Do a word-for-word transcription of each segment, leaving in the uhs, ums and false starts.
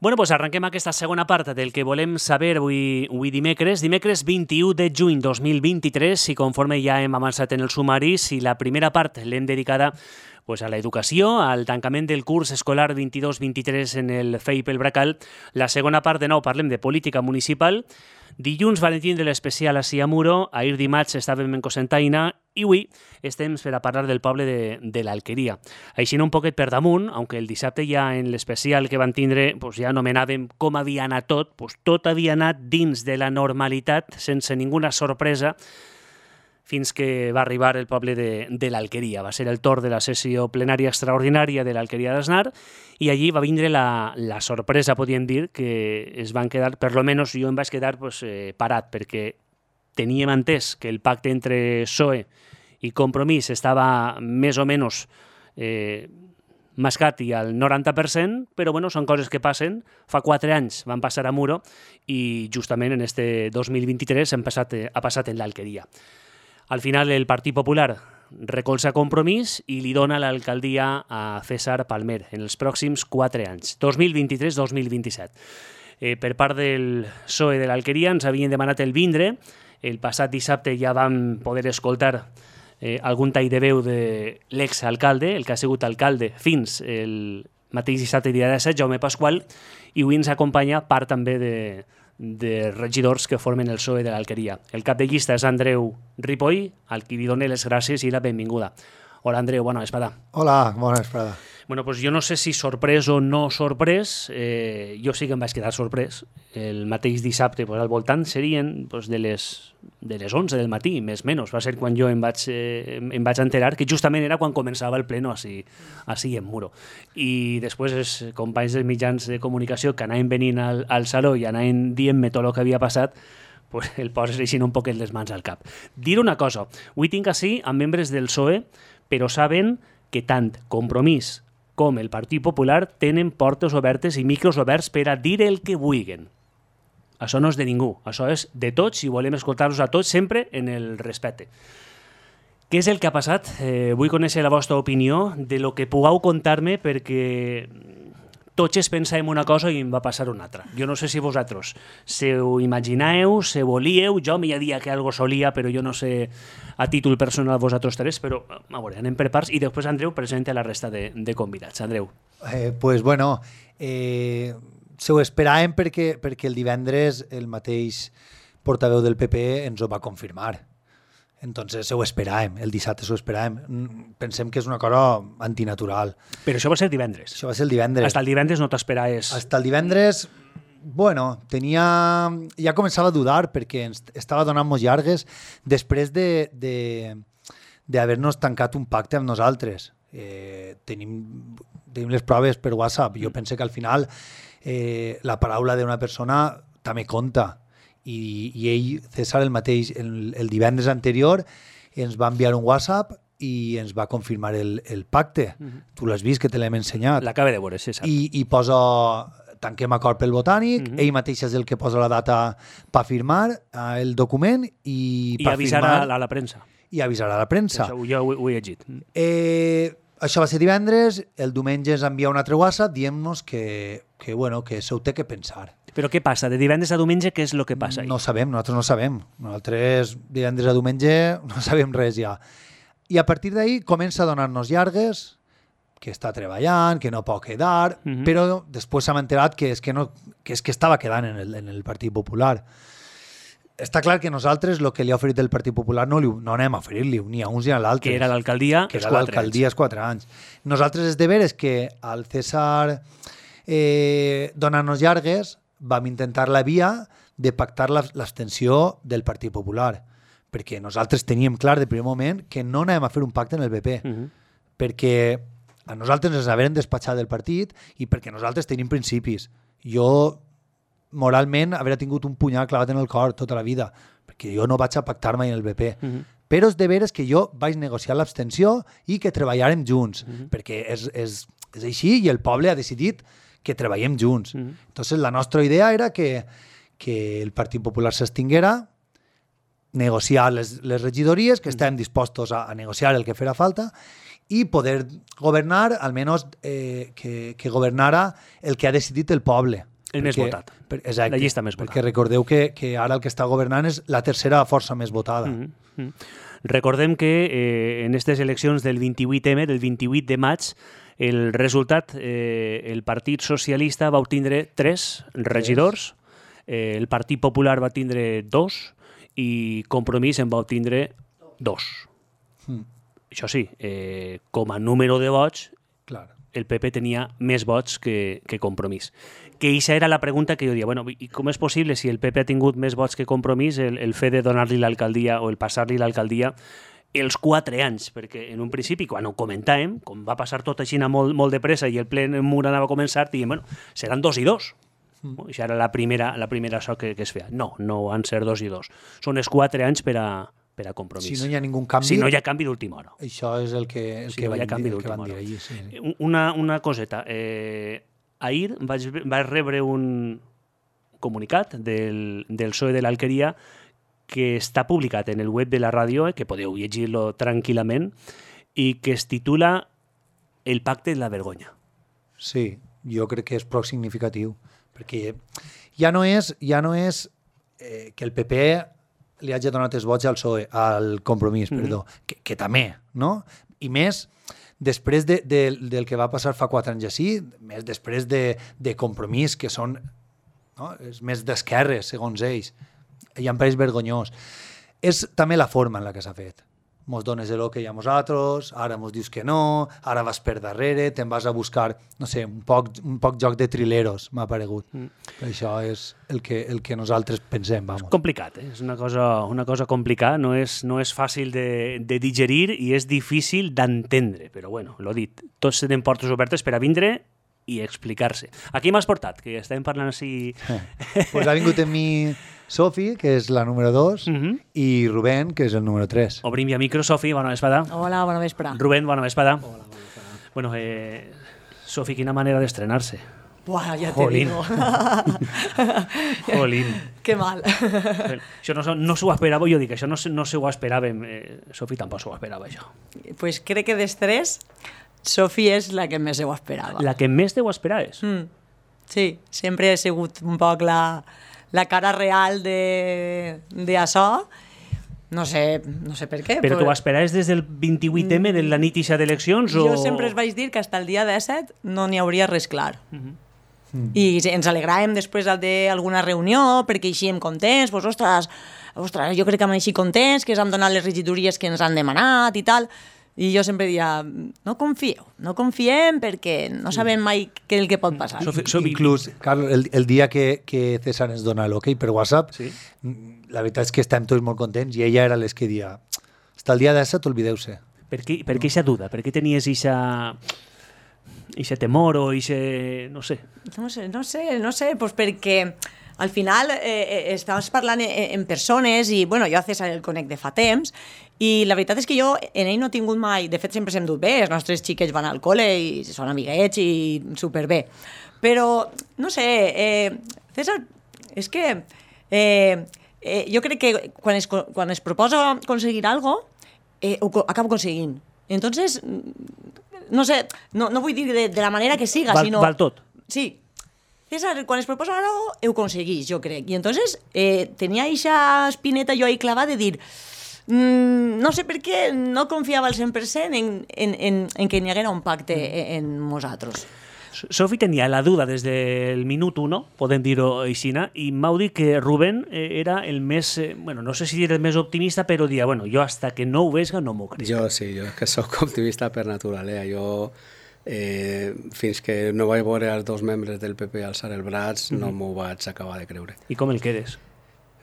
Bueno, doncs arrenquem aquesta segona part del que volem saber avui, avui dimecres. Dimecres vint-i-u de juny dos mil vint-i-tres, i conforme ja hem avançat en el sumari, si la primera part l'hem dedicada pues, a l'educació, al tancament del curs escolar vint-i-dos vint-i-tres en el F E I P El Bracal, la segona part de nou parlem de política municipal. Dilluns van tindre l'especial a Siamuro, ahir dimarts estàvem en Cocentaina i avui estem per a parlar del poble de, de l'Alqueria. Així un poquet per damunt, aunque el dissabte ja en l'especial que van tindre pues ja anomenàvem com havia anat tot, pues tot havia anat dins de la normalitat, sense ninguna sorpresa, fins que va arribar el poble de, de l'Alqueria. Va ser el torn de la sessió plenària extraordinària de l'Alqueria d'Asnar i allí va vindre la, la sorpresa, podríem dir, que es van quedar, per lo menos jo em vaig quedar pues, eh, parat, perquè teníem entès que el pacte entre P S O E i Compromís estava més o menys eh, mascat i al noranta per cent, però bueno, són coses que passen. Fa quatre anys van passar a Muro i justament en este dos mil vint-i-tres han passat, ha passat en l'Alqueria. Al final el Partit Popular recolza Compromís i li dona l'alcaldia a César Palmer en els pròxims quatre anys, dos mil vint-i-tres dos mil vint-i-set. Eh, per part del P S O E de l'Alqueria ens havien demanat el vindre. El passat dissabte ja vam poder escoltar eh, algun tall de veu de l'exalcalde, el que ha sigut alcalde fins el mateix dissabte dia disset, Jaume Pasqual, i avui ens acompanya part també de de regidors que formen el P S O E de l'Alqueria. El cap de llista és Andreu Ripoll, al qui li dono les gràcies i la benvinguda. Hola, Andreu, bona vesprada. Hola, bona vesprada. Bueno, pues jo no sé si sorprès o no sorprès, eh, jo sí que em vaig quedar sorprès. El mateix dissabte, pues, al voltant serien pues, de, les, de les onze del matí, més o menys. Va ser quan jo em vaig, eh, em vaig enterar que justament era quan començava el pleno així, així en Muro. I després els companys dels mitjans de comunicació que anaven venint al, al saló i anaven dient-me tot el que havia passat, pues, el poses així un poquet les mans al cap. Dir una cosa, avui tinc així amb membres del P S O E, però saben que tant Compromís com el Partit Popular tenen portes obertes i micros oberts per a dir el que vulguin. Això no és de ningú, això és de tots i volem escoltar-los a tots sempre en el respecte. Què és el que ha passat? Eh, vull conèixer la vostra opinió de lo que pugueu contar-me perquè tots es pensàvem una cosa i em va passar una altra. Jo no sé si vosaltres se ho imagineu, se volíeu, jo m'hi dia que algo solia, però jo no sé a títol personal vosaltres tres, però a veure, anem per parts i després Andreu presenta la resta de, de convidats. Andreu. Eh, pues bueno, eh, se ho esperàvem perquè, perquè el divendres el mateix portaveu del P P ens ho va confirmar. Entonces ho esperàvem, el dissabte ho esperàvem. Pensem que és una cosa antinatural. Però això va ser divendres. Això va ser el divendres. Hasta el divendres no t'esperaves. Hasta el divendres, bueno, tenia... ja començava a dudar perquè ens estava donant-nos llargues després de, de, d'haver-nos tancat un pacte amb nosaltres. Eh, tenim, tenim les proves per WhatsApp. Jo pense que al final eh, la paraula d'una persona també compta. I, i ell, César, el mateix, el, el divendres anterior ens va enviar un WhatsApp i ens va confirmar el, el pacte. Uh-huh. Tu l'has vist, que te l'hem ensenyat. L'acaba de veure, César. I, i posa, tanquem acord pel Botànic, uh-huh. ell mateix és el que posa la data per firmar eh, el document i, I per avisarà firmar, a la, la premsa. I avisarà a la premsa. Això, jo ho, ho he llegit. Eh, això va ser divendres, el diumenge ens envia un altre WhatsApp dient-nos que, que, bueno, que se ho té que pensar. Però què passa? De divendres a diumenge, què és el que passa? No sabem, nosaltres no sabem. Nosaltres divendres a diumenge no sabem res ja. I a partir d'ahir comença a donar-nos llargues, que està treballant, que no pot quedar, uh-huh. però després s'ha enterat que és que, no, que, és que estava quedant en el, en el Partit Popular. Està clar que nosaltres el que li ha oferit el Partit Popular no, li, no anem a oferir-li ni a uns ni a l'altre. Que era l'alcaldia que era l'alcaldia els quatre anys. Nosaltres és de veres que al César eh, donant-nos llargues vam intentar la via de pactar l'abstenció del Partit Popular, perquè nosaltres teníem clar de primer moment que no anàvem a fer un pacte en el B P, uh-huh. perquè a nosaltres ens haveren despatxat del partit i perquè nosaltres tenim principis. Jo, moralment, haver tingut un punyal clavat en el cor tota la vida, perquè jo no vaig a pactar mai en el B P. Uh-huh. Però és de veres que jo vaig negociar l'abstenció i que treballàrem junts, uh-huh. perquè és, és, és així i el poble ha decidit que treballem junts. Uh-huh. Entonces, la nostra idea era que, que el Partit Popular s'extinguera, negociar les, les regidories, que uh-huh. estàvem dispostos a, a negociar el que fera falta, i poder governar, almenys eh, que, que governara el que ha decidit el poble. El perquè, més votat. Per, exacte, la llista més votada. Perquè recordeu que, que ara el que està governant és la tercera força més votada. Mm -hmm. Recordem que eh, en aquestes eleccions del vint-i-vuit eme, del vint-i-vuit de maig, el resultat, eh, el Partit Socialista va obtindre tres regidors, eh, el Partit Popular va tindre dos i Compromís en va obtindre dos. Mm. Això sí, eh, com a número de vots, clar, el P P tenia més vots que, que Compromís. Que aquesta era la pregunta que jo dia, bueno, i com és possible, si el P P ha tingut més vots que Compromís, el, el fet de donar-li l'alcaldia o el passar-li l'alcaldia els quatre anys? Perquè en un principi, quan ho comentàvem, com va passar tot així molt, molt de pressa i el ple mur anava a començar, diguem, bueno, seran dos i dos. Mm. Això era la primera, la primera això que, que es feia. No, no van ser dos i dos. Són els quatre anys per a, per a Compromís. Si no hi ha ningú canvi... Si no hi ha canvi d'última hora. Això és el que, el si que, no van, canvi dir, el que van dir hora. allí. Sí, sí. Una, una coseta. Eh, ahir vaig, vaig rebre un comunicat del, del P S O E de l'Alqueria que està publicat en el web de la ràdio, eh, que podeu llegir-lo tranquil·lament, i que es titula El pacte de la vergonya. Sí, jo crec que és prou significatiu, perquè ja no és, ja no és eh, que el P P li hagi donat els vots al P S O E, al Compromís, mm-hmm. perdó, que, que també, no? I més, després de, de, del que va passar fa quatre anys així, més després de, de Compromís, que són, no? És més d'esquerres, segons ells, i em pareix vergonyós. És també la forma en la que s'ha fet. Mos dones el que hi ha nosaltres, ara mos dius que no, ara vas per darrere, te'n vas a buscar, no sé, un poc, un poc joc de trileros, m'ha paregut. Mm. Això és el que, el que nosaltres pensem, vamos. És complicat, eh? És una cosa, una cosa complicada, no és, no és fàcil de, de digerir i és difícil d'entendre, però bueno, l'ho dit, tots tenen portes obertes per a vindre i explicar-se. Aquí m'has portat, que estàvem parlant així... Pues ha vingut en mi Sofi, que és la número dos, uh -huh. i Rubén, que és el número tres. Obrim ja micro, Sofi, bona vesprada. Hola, bona vesprada. Rubén, bona vesprada. Hola, bona vesprada. Bueno, eh, Sofi, quina manera d'estrenar-se. Buah, ja Jolín. te digo. Jolín. Qué mal. Això no, no s'ho esperava, jo dic, això no, no s'ho esperàvem. Eh, Sofi tampoc s'ho esperava, això. Pues crec que dels tres, Sofi és la que més ho esperava. La que més te ho esperaves? Mm. Sí, sempre he sigut un poc la, la cara real de, de això. No sé, no sé per què. Però però... t'ho esperaves des del vint-i-vuit eme, de la nit ixa d'eleccions? Jo o... sempre es vaig dir que fins al dia disset no n'hi hauria res clar. Uh -huh. Mm. I ens alegràvem després d'alguna reunió perquè eixíem contents, pues, ostres, ostres, jo crec que hem eixit contents, que ens han donat les regidories que ens han demanat i tal. I jo sempre diria, no confieu, no confiem perquè no sabem mai què és el que pot passar. Sofi, Sofi, inclús, Carlos, el, el dia que, que César ens dona l'ok per WhatsApp, sí? La veritat és que estem tots molt contents i ella era les que dia, hasta el dia d'essa t'olvideu-se. Per què, per què aquesta duda? Per què tenies aquesta... Ixe temor o ixe... no sé. No sé, no sé, no sé, pues perquè al final eh, estàvem parlant en, en persones i, bueno, jo a César el conec de fa temps i la veritat és que jo en ell no he tingut mai, de fet sempre s'hem dut bé, els nostres xiquets van al col·le i són amiguets i superbé. Però, no sé, eh, César, és que eh, eh, jo crec que quan es, quan es proposa aconseguir alguna cosa, eh, ho acaba aconseguint. Entonces... no sé, no, no vull dir de, de la manera que siga, val, sinó... Val tot. Sí. César, quan es proposa algo, ho aconseguís, jo crec. I entonces eh, tenia eixa espineta jo ahí clavada de dir mmm, no sé per què no confiava al cent per cent en, en, en, en que n'hi haguera un pacte mm. en nosaltres. Sofi tenia la duda des del minut uno, podem dir-ho així, i m'hau dit que Rubén era el més, eh, bueno, no sé si era el més optimista, però dia, bueno, jo hasta que no ho vesga no m'ho crec. Jo sí, jo és que sóc optimista per naturalesa. Jo, eh, fins que no vaig veure els dos membres del P P alçar el braç, mm-hmm. no m'ho vaig acabar de creure. I com el quedes?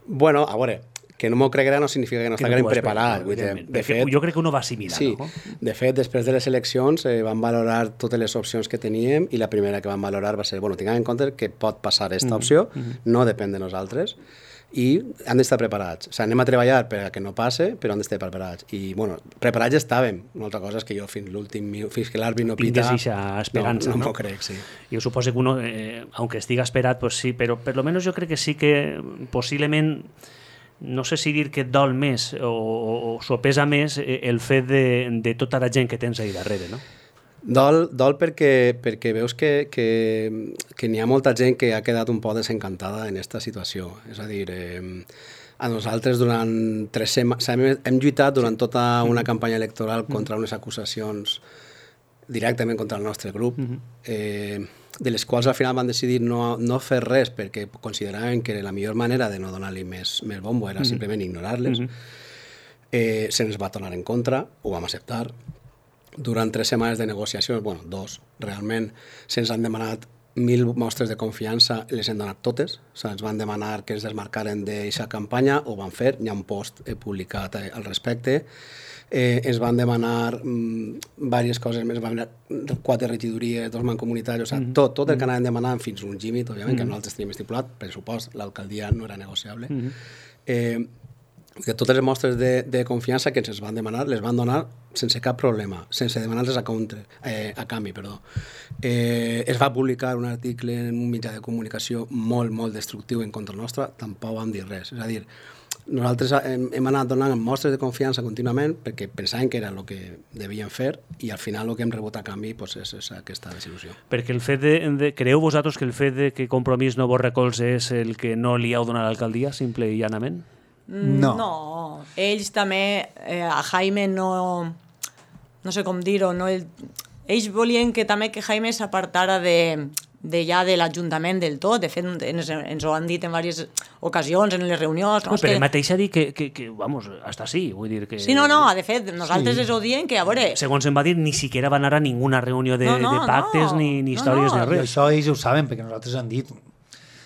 Bueno, a veure, que no m'ho creguera no significa que no estiguem preparats. De fet, jo crec que uno va assimilar. Sí, no? De fet, després de les eleccions eh, van valorar totes les opcions que teníem i la primera que van valorar va ser, bueno, tinguem en compte que pot passar aquesta mm-hmm. opció, mm-hmm. no depèn de nosaltres, i han d'estar preparats. O sigui, anem a treballar per a que no passe, però han d'estar preparats. I, bueno, preparats ja estàvem. Una altra cosa és que jo fins l'últim fins que l'àrbit no pita... Tingues eixa esperança, no? No no? m'ho crec, sí. Jo suposo que uno, eh, aunque estiga esperat, pues sí, però per lo menos jo crec que sí que possiblement no sé si dir que et dol més o, o, o s'ho pesa més el fet de, de tota la gent que tens ahí darrere, no? Dol, dol perquè, perquè veus que, que, que n'hi ha molta gent que ha quedat un poc desencantada en aquesta situació. És a dir, eh, a nosaltres durant tres setmanes hem, hem lluitat durant tota una campanya electoral contra unes acusacions directament contra el nostre grup, eh, de les quals al final van decidir no, no fer res perquè consideraven que la millor manera de no donar-li més, més bombo era simplement ignorar-les. Eh, se'ns va tornar en contra, ho vam acceptar. Durant tres setmanes de negociacions, bueno, dos, realment, se'ns han demanat mil mostres de confiança, les hem donat totes. O sigui, ens van demanar que ens desmarcaren d'aquesta campanya, ho van fer, hi ha un post publicat al respecte. Eh, ens van demanar mm, diverses coses més, van demanar quatre regidories, dos mancomunitaris, o sigui, tot, tot el que anaven demanant fins un límit, òbviament, mm-hmm. que nosaltres teníem estipulat, per supost, l'alcaldia no era negociable. Mm-hmm. eh, que totes les mostres de, de confiança que ens van demanar, les van donar sense cap problema, sense demanar-les a, counter, eh, a canvi. Perdó. Eh, es va publicar un article en un mitjà de comunicació molt, molt destructiu en contra nostra, tampoc vam dir res. És a dir, nosaltres hem, hem anat donant mostres de confiança contínuament perquè pensàvem que era el que devien fer i al final el que hem rebut a canvi pues, és, és aquesta desil·lusió. Perquè el fet de, de... Creeu vosaltres que el fet de que Compromís no vos recolze és el que no li heu donat a l'alcaldia, simple i llanament? No. No, ells també, eh, a Jaime no, no sé com dir-ho, no, el, ells volien que també que Jaime s'apartara de, de ja de l'Ajuntament del tot, de fet ens, ens ho han dit en diverses ocasions, en les reunions. No, no, però que... mateix ha dit que, que, que, vamos, hasta sí, vull dir que... Sí, no, no, de fet, nosaltres sí. Les ho diem que, a veure... Segons em va dir, ni siquiera va anar a ninguna reunió de, no, no, de pactes, no, ni, ni no, històries, no. ni res. I això ells ho saben, perquè nosaltres han dit.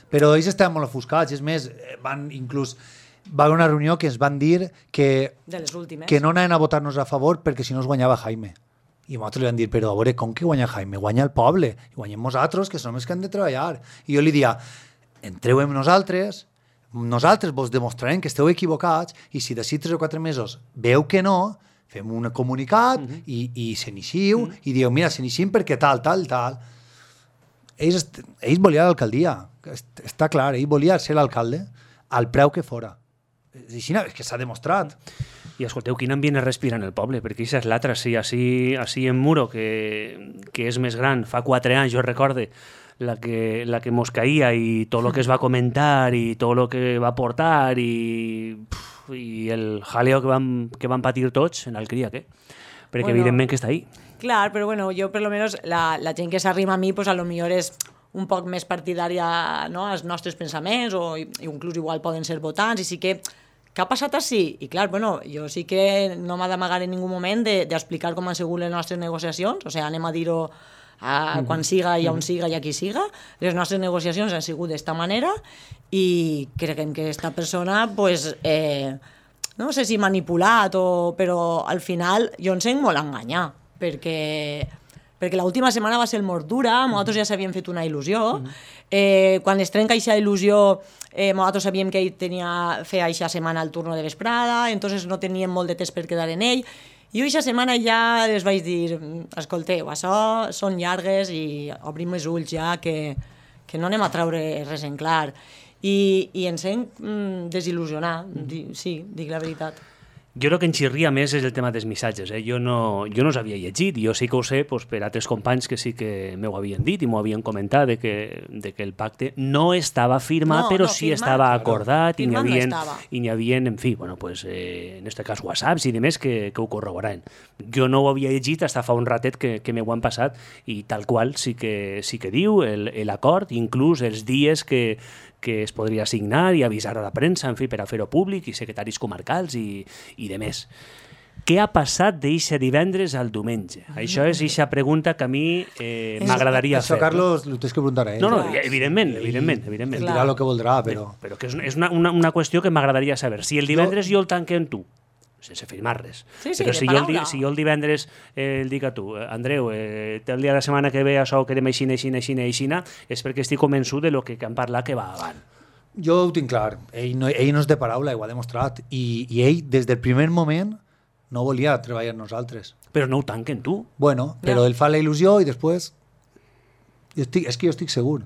Però ells estaven molt ofuscats, és més, van inclús... Va haver una reunió que ens van dir que, de les últimes. que no anaven a votar-nos a favor perquè si no es guanyava Jaime. I nosaltres li van dir, però a veure, com que guanya Jaime? Guanya el poble, i guanyem nosaltres, que som els que hem de treballar. I jo li dia, entreu amb nosaltres, nosaltres vos demostrarem que esteu equivocats, i si d'ací tres o quatre mesos veu que no, fem un comunicat uh-huh. i, i s'iniciu, uh-huh. i dieu, mira, s'iniciem perquè tal, tal, tal. Ells, ells volien l'alcaldia, està clar, ell volia ser l'alcalde al preu que fora. És que s'ha demostrat. I escolteu, quin ambient es respira en el poble, perquè això és l'altre, sí, així, així en Muro, que, que és més gran, fa quatre anys, jo recorde, la que, la que mos caïa i tot el que es va comentar i tot el que va portar i, puf, i el jaleo que vam, que vam patir tots en el cria, què? Perquè bueno, evidentment que està ahí. Clar, però bueno, jo per lo menos la, la gent que s'arrima a mi, pues a lo millor és un poc més partidària, no?, als nostres pensaments o inclús igual poden ser votants i sí que què ha passat així? I clar, bueno, jo sí que no m'ha d'amagar en ningú moment d'explicar de, com han sigut les nostres negociacions, o sigui, anem a dir-ho a, mm. quan siga i on siga i a qui siga. Les nostres negociacions han sigut d'esta manera i creiem que aquesta persona, pues, eh, no sé si manipulat o... però al final jo em sent molt enganyar, perquè... perquè l'última setmana va ser molt dura, nosaltres ja s'havien fet una il·lusió, eh, quan es trenca aquesta il·lusió, eh, nosaltres sabíem que ell tenia fer aquesta setmana el turno de vesprada, entonces no teníem molt de temps per quedar en ell, i jo aquesta setmana ja els vaig dir, escolteu, això són llargues i obrim els ulls ja, que, que no anem a treure res en clar. I, i ens hem mm, desil·lusionat, mm. sí, dic la veritat. Jo crec que en xirria més és el tema dels missatges. Eh? Jo no, jo no s'havia llegit, jo sí que ho sé pues, per altres companys que sí que m'ho havien dit i m'ho havien comentat de que, de que el pacte no estava firmat, no, però no, sí firmat, estava acordat claro. i n'hi havia, no i n'hi havia, en fi, bueno, pues, eh, en este cas whatsapps i demés que, que ho corroboraven. Jo no ho havia llegit fins fa un ratet que, que m'ho han passat i tal qual sí que, sí que diu l'acord, inclús els dies que que es podria assignar i avisar a la premsa, en fi, per a fer-ho públic, i secretaris comarcals i, i de més. Què ha passat d'eixe divendres al diumenge? Mm. Això és eixa pregunta que a mi eh, m'agradaria fer. Això, Carlos, no? Ho tens que preguntar a ell. No, no, evidentment, evidentment. evidentment. Dirà el que voldrà, però... Però que és, és una, una, una qüestió que m'agradaria saber. Si el divendres jo, jo el tanque en tu, sense firmar res. Sí, sí, però si jo, el, si jo el divendres eh, el dic a tu, Andreu, eh, el dia de la setmana que ve això que demà aixina, aixina, aixina, aixina, és perquè estic convençut de lo que han parlat que va avant. Jo ho tinc clar. Ell no, ell no és de paraula, ho ha demostrat. I, I ell, des del primer moment, no volia treballar amb nosaltres. Però no ho tanquen tu. Bueno, però no. Ell fa la il·lusió i després... Jo estic, és que jo estic segur.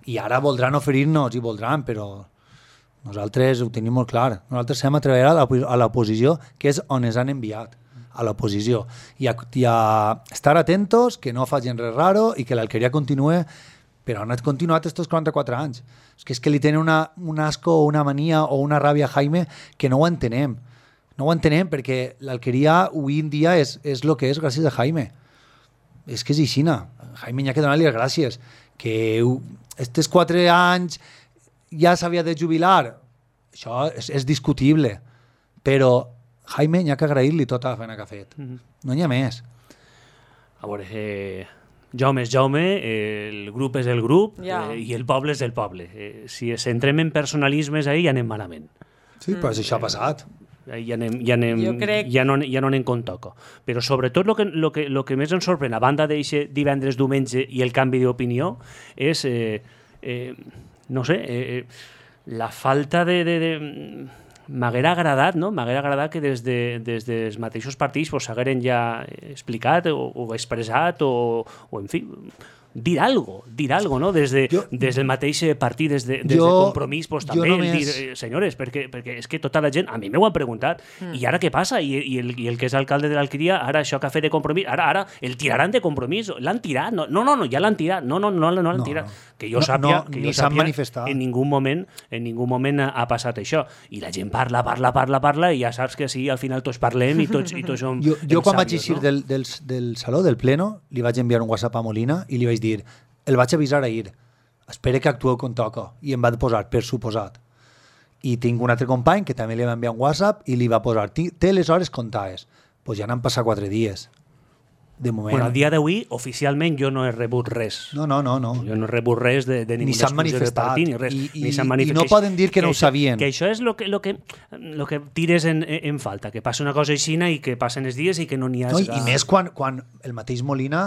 I ara voldran oferir-nos i voldran, però... Nosaltres ho tenim molt clar. Nosaltres hem a treballar a la, a la posició, que és on ens han enviat, a l'oposició. I, I a estar atentos, que no facin res raro i que l'Alqueria continue, però han continuat estos quaranta-quatre anys. És que és que li tenen una, un asco o una mania o una ràbia a Jaime que no ho entenem. No ho entenem perquè l'Alqueria avui en dia és, és el que és gràcies a Jaime. És que és aixina. Jaime n'hi ha que donar-li les gràcies. Que estos quatre anys ja s'havia de jubilar. Això és, és discutible. Però Jaime n'hi ha que agrair-li tota la feina que ha fet. Mm-hmm. No n'hi ha més. A veure, eh, Jaume és Jaume, eh, el grup és el grup ja. eh, i el poble és el poble. Eh, si centrem en personalismes ahí ja anem malament. Sí, mm. però això ha passat. Ja, anem, ja, anem, crec... ja, no, ja no anem con toco. Però sobretot el que, lo que, lo que més ens sorprèn, a banda d'eixe divendres, diumenge i el canvi d'opinió, és, eh, eh, no sé, eh, la falta de... de, de m'haguera agradat, no? M'haguera agradat que des, de, des dels mateixos partits pues, s'hagueren ja explicat o, o expressat o, o, en fi, dir algo, dir algo, no? Des, de, jo, des del mateix partit, des de, des jo, de Compromís, pues, també només... el dir, eh, senyores, perquè, perquè és que tota la gent, a mi m'ho han preguntat, mm. i ara què passa? I, i, el, I el que és alcalde de l'Alqueria, ara això que ha fet de Compromís, ara ara el tiraran de Compromís, l'han tirat, no, no, no, no ja l'han tirat, no, no, no, no l'han no, tirat. No. Que jo sàpia, no, que jo jo sàpia en ningú moment, en ningú moment ha, ha passat això. I la gent parla, parla, parla, parla, i ja saps que sí, al final tots parlem i tots, i tots som Jo, jo quan vaig eixir no? del, del, del saló, del pleno, li vaig enviar un WhatsApp a Molina i li vaig dir, el vaig avisar ahir, espere que actueu com toca. I em va posar, per suposat. I tinc un altre company que també li va enviar un WhatsApp i li va posar, té les hores comptades. Doncs pues ja n'han passat quatre dies. De moment. Bueno, al dia d'avui, oficialment, jo no he rebut res. No, no, no. no. Jo no he rebut res de, de ni s'han manifestat. Partit, ni res. I, i, ni s'han manifestat. I no poden dir que, que no ho això, sabien. Que això és el que, lo que, lo que tires en, en falta, que passa una cosa així i que passen els dies i que no n'hi ha... No, I més quan, quan el mateix Molina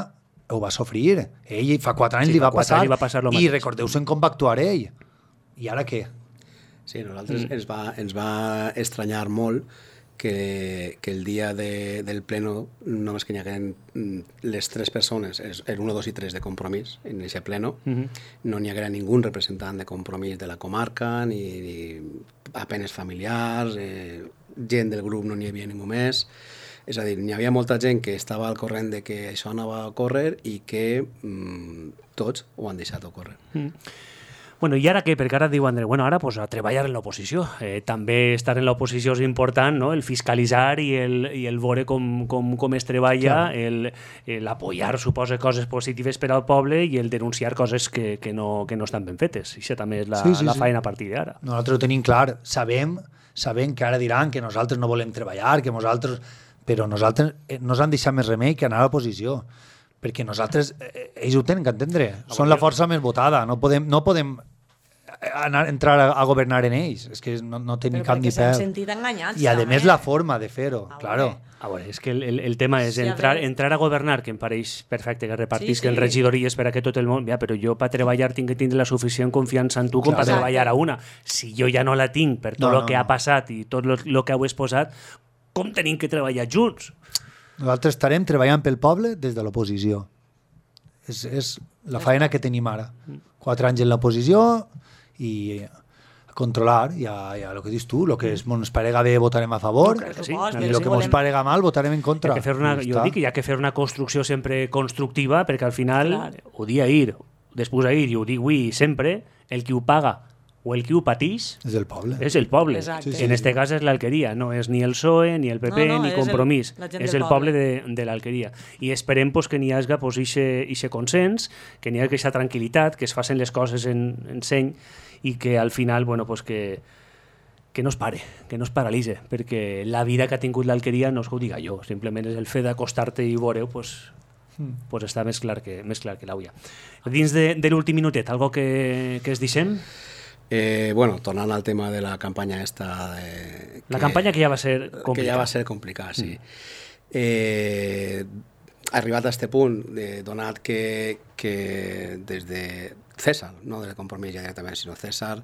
ho va sofrir. Ell fa quatre anys sí, li, va passar, li va passar i recordeu-se'n com va actuar ell. I ara què? Sí, nosaltres mm. ens, va, ens va estranyar molt que, que el dia de, del pleno només que n'hi hagueren les tres persones, el uno, dos i tres de Compromís, en aquest pleno, mm-hmm. no n'hi haguera ningú representant de Compromís de la comarca, ni, ni apenes familiars, eh, gent del grup no n'hi havia ningú més. És a dir, n'hi havia molta gent que estava al corrent de que això anava a córrer i que mm, tots ho han deixat a córrer. Mm. Bueno, i ara què? Perquè ara diu André, bueno, ara pues, a treballar en l'oposició. Eh, també estar en l'oposició és important, no? El fiscalitzar i el, i el veure com, com, com es treballa, el, el apoyar, suposa, coses positives per al poble i el denunciar coses que, que, no, que no estan ben fetes. Això també és la, sí, sí, la feina sí. a partir d'ara. Nosaltres ho tenim clar. Sabem, sabem que ara diran que nosaltres no volem treballar, que nosaltres... Però nosaltres no ens han deixat més remei que anar a l'oposició. Perquè nosaltres, eh, ells ho tenen que entendre. Són la força més votada. No podem, no podem anar, entrar a, a governar en ells. És que no, no tenim cap ni pèl. Sentit enganyats, I a també. més la forma de fer-ho, Ah, claro. A veure, és que el, el, el tema és Sí, a entrar, veure. entrar a governar, que em pareix perfecte que repartisquen Sí, sí. regidories per a que tot el món... Ja, però jo per treballar tinc que tindre la suficient confiança en tu com Clar. per treballar a una. Si jo ja no la tinc per tot No, el no, que ha no. passat i tot el que heu exposat, com tenim que treballar junts? Nosaltres estarem treballant pel poble des de l'oposició. És, és la feina que tenim ara. Quatre anys en l'oposició i a controlar, i a, i a el que dius tu, el que ens parega bé votarem a favor, No, clar que sí, i clar que el sí. que ens parega mal votarem en contra. Hi ha que fer una, I jo està. dic que hi ha que fer una construcció sempre constructiva, perquè al final, Clar. ho dia ahir, després ahir, i ho dic avui sempre, el qui ho paga o el qui ho pateix És el poble. és el poble. Exacte. Sí, sí, En sí. este cas és l'Alqueria, no és ni el P S O E, ni el P P, No, no, ni és Compromís. el- la gent és del el poble poble. de, de l'Alqueria. I esperem pues, que n'hi hagi pues, ixe, ixe consens, que n'hi hagi aquesta tranquil·litat, que es facin les coses en, en seny i que al final, bueno, pues, que, que no es pare, que no es paralitze, perquè la vida que ha tingut l'Alqueria no és que ho diga jo, simplement és el fet d'acostar-te i veure-ho, pues, pues està més clar que, més clar que l'auia. Dins de, de l'últim minutet, algo que, que es deixem? Eh, bueno, tornant al tema de la campanya esta... De, La campanya que ja va ser complicada. Que ja va ser complicada, sí. Mm. Eh, arribat a este punt, eh, donat que, que des de César, no de Compromís ja directament, sinó César,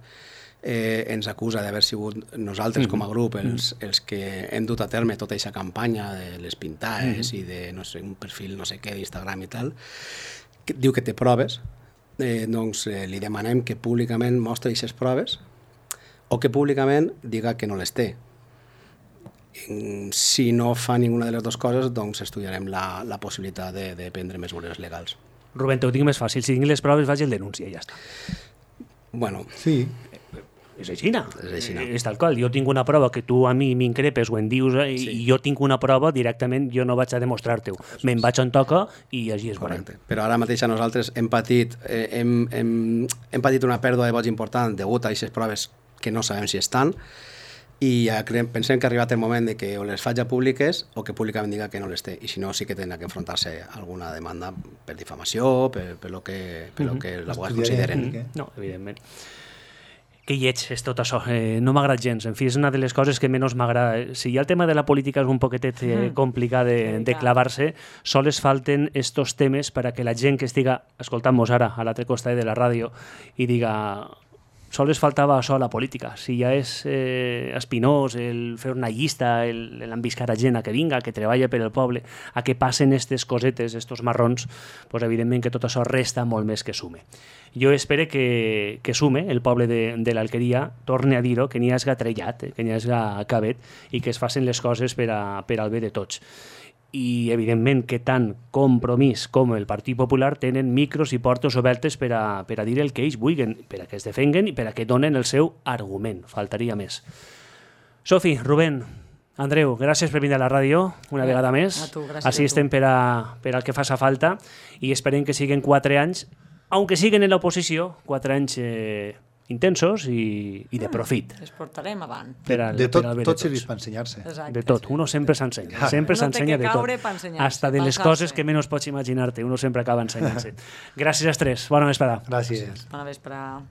eh, ens acusa d'haver sigut nosaltres mm. com a grup els, els que hem dut a terme tota aquesta campanya de les pintades mm. i de no sé, un perfil no sé què d'Instagram i tal, que diu que té proves, eh, doncs eh, li demanem que públicament mostri aquestes proves o que públicament diga que no les té. Si no fa ninguna de les dues coses, doncs estudiarem la, la possibilitat de, de prendre mesures legals. Rubén, te ho tinc més fàcil. Si tinc les proves, vaig el denúncia i ja està. Bueno, Sí. És aixina. És aixina. És tal qual. Jo tinc una prova que tu a mi m'increpes o en dius i sí. jo tinc una prova directament, jo no vaig a demostrar-te-ho. Me'n vaig on toca i així és correcte. Però ara mateix a nosaltres hem patit, eh, hem, hem, hem patit una pèrdua de vots important degut a aquestes proves que no sabem si estan i ja creiem, pensem que ha arribat el moment de que o les faig públiques o que públicament diga que no les té, i si no sí que tindrà que enfrontar-se a alguna demanda per difamació, per, per lo que, per lo que l'abogat consideren. No, evidentment. Que lleig és tot això, eh, no m'agrada gens, en fi, és una de les coses que menys m'agrada. Si ja el tema de la política és un poquetet eh, complicat de, de clavar-se, sols falten estos temes per a que la gent que estiga escoltant-nos ara a l'altre costat de la ràdio i diga, sols faltava això a la política, si ja és eh, espinós el fer una llista, l'enviscar a gent a que vinga, que treballa per el poble, a que passen aquestes cosetes, estos marrons, pues evidentment que tot això resta molt més que sume. Jo espero que, que sume el poble de, de l'Alqueria, torne a dir-ho, que n'hi hagi trellat, eh, que n'hi hagi cabet i que es facin les coses per, a, per al bé de tots. I evidentment que tant Compromís com el Partit Popular tenen micros i portes obertes per a, per a dir el que ells vulguin, per a que es defenguen i per a que donen el seu argument, faltaria més. Sofi, Rubén, Andreu, gràcies per venir a la ràdio una Bé, vegada més. a tu, gràcies Així a tu. estem per, a, per al que faça falta i esperem que siguen quatre anys, aunque siguen en l'oposició, quatre anys eh, intensos i, i de profit. Les portarem avant. Per al, De tot, per al bé tot de serveix tots. per ensenyar-se. Exacte. De tot, uno sempre s'ensenya, sempre Uno té s'ensenya que de tot. caure per ensenyar-se, Hasta de per les alçar-se. coses que menys pots imaginar-te, uno sempre acaba ensenyant-se. Gràcies als tres, bona vesprada. Gràcies. Bona vesprada.